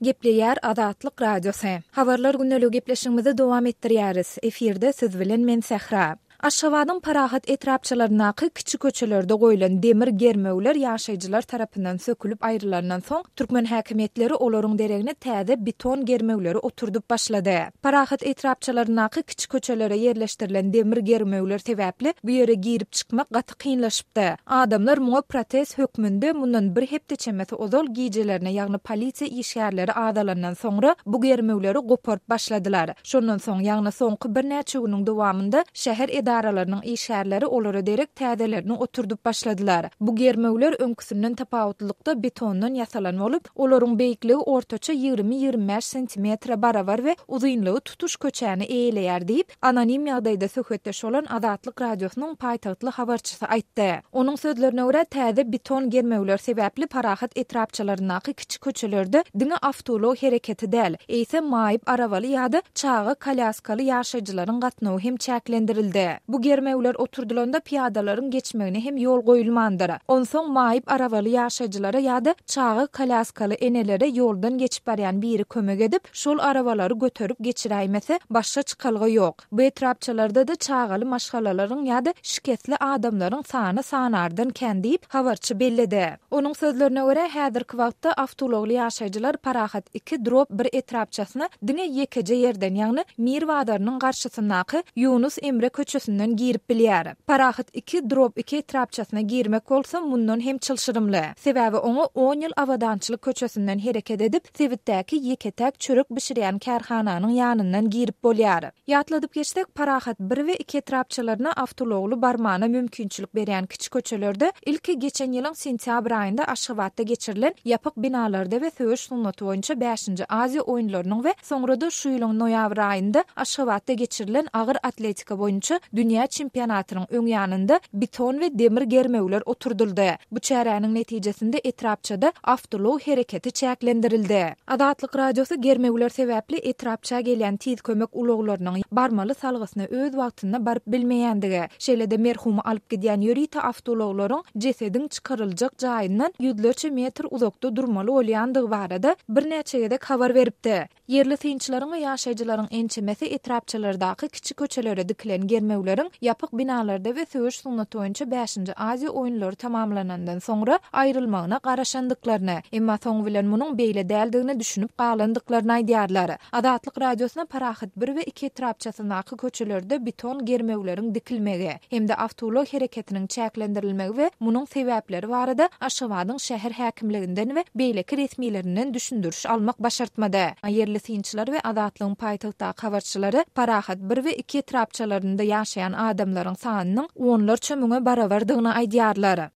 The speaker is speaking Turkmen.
Gepleýär Azatlyk Radiosy. Habarlar gündeligi gepleşigimizi dowam etdirýäris. Efirde siz bilen men Sähra. Aşgabadyň Parahat etrapçalaryndaky kiçi köçelerde goýlan demir germewler ýaşaýjylar tarapyndan sökülip aýrylandan soň, türkmen häkimiýetleri olaryň deregine täze beton germewleri oturdyp başlady. Parahat etrapçalaryndaky kiçi köçelere ýerleşdirilen demir germewler sebäpli bu ýere girip-çykmak gaty kynlaşypdy. Adamlar muňa protest hökmünde mundan bir hepde çemesi ozal gijelerine, ýagny polisiýa işgärleri azalandan soňra bu germewleri goparyp başladylar. Şondan soň, ýagny soňky birnäçe günüň dowamynda şäher edaralarynyň işgärleri olara derek täzelerini oturdyp başladylar. Bu germewler öňküsinden tapawutlylykda betondan ýasalan bolup, olaryň beýikligi ortaça 20-25 sentimetre barabar we uzynlygy tutuş köçäni eýeleýär diýip, Anonim ýagdaýda söhbetdeş bolan Azatlyk Radiosynyň paýtagtly habarçysy aýtdy. Onuň sözlerine görä, täze beton germewler sebäpli Parahat etrapçalaryndaky kiçi köçelerde diňe awtoulag hereketi däl, eýsem maýyp arabaly ýa-da çaga kolýaskaly ýaşaýjylaryň gatnawy hem çäklendirildi. Bu germewler oturdylanda pyýadalaryň geçmegine hem ýol goýulmandyr. Onsoň maýyp arabaly ýaşaýjylara ýa-da çaga kolýaskaly enelere ýoldan geçip barýan biri kömek edip, Şol arabalary göterip geçiräýmese, başga çykalga ýok. Bu etrapçalarda-da çagaly maşgalalaryň ýa-da şikesli adamlaryň sany sanardan kän diýip, habarçy belledi. Onuň sözlerine görä, häzirki wagtda awtoulagly ýaşaýjylar Parahat iki drob bir etrapçasyna diňe ýekeje ýerden, ýagny Mir bazarynyň garşysyndaky Ýunus Emre köçesinden girip bilýär. Parahat iki drob iki etrapçasyna girmek bolsa mundan hem çylşyrymly. Sebäbi oňa on ýyl Abadançylyk köçesinden hereket edip, sebitdäki ýeke-täk çörek bişirýän kärhananyň ýanyndan girip bolýar. Ýatladyp geçsek, Parahat bir we iki etrapçalaryna awtoulagly barmana mümkinçilik berýän kiçi köçelerde ilki geçen ýylyň sentýabr aýynda Aşgabatda geçirilen ýapyk binalarda we söweş sungaty boýunça bäşinji Aziýa oýunlarynyň we soňra-da şu ýylyň noýabr aýynda Aşgabatda geçirilen agyr atletika boýunça dünýä çempionatynyň öň ýanynda beton we demir germewler oturdyldy. Bu çäräniň netijesinde etrapçada awtoulag hereketi çäklendirildi. Azatlyk Radiosy germewler sebäpli etrapça gelýän tiz kömek ulaglarynyň barmaly salgysyna öz wagtynda baryp bilmeýändigi, şeýle-de merhumy alyp gidýän ýörite awtoulaglaryň jesediň çykaryljak jaýyndan ýüzlerçe metr uzakda durmaly bolýandygy barada birnäçe gezek habar beripdi. Ýerli synçylaryň we ýaşaýjylaryň ençemesi etrapçalardaky kiçi köçelere dikilen germewleriň ýapyk binalarda we söweş sungaty boýunça bäşinji Aziýa oýunlary tamamlanandan soňra aýrylmagyna garaşandyklaryny, emma soňy bilen munuň beýle däldigine düşünip galandyklaryny aýdýarlar. Azatlyk Radiosyna Parahat bir we iki etrapçasyndaky köçelerde beton germewleriň dikilmegi hem-de awtoulag hereketiniň çäklendirilmegi we munuň sebäpleri barada Aşgabadyň şäher häkimliginden we beýleki resmilerinden düşündiriş almak başartmady. Ýerli synçylar we Azatlygyň paýtagtdaky habarçylary Parahat bir we iki etrapçalarynda ýaşaýan adamlaryň sanynyň onlarça müňe barabardygyny aýdýarlar.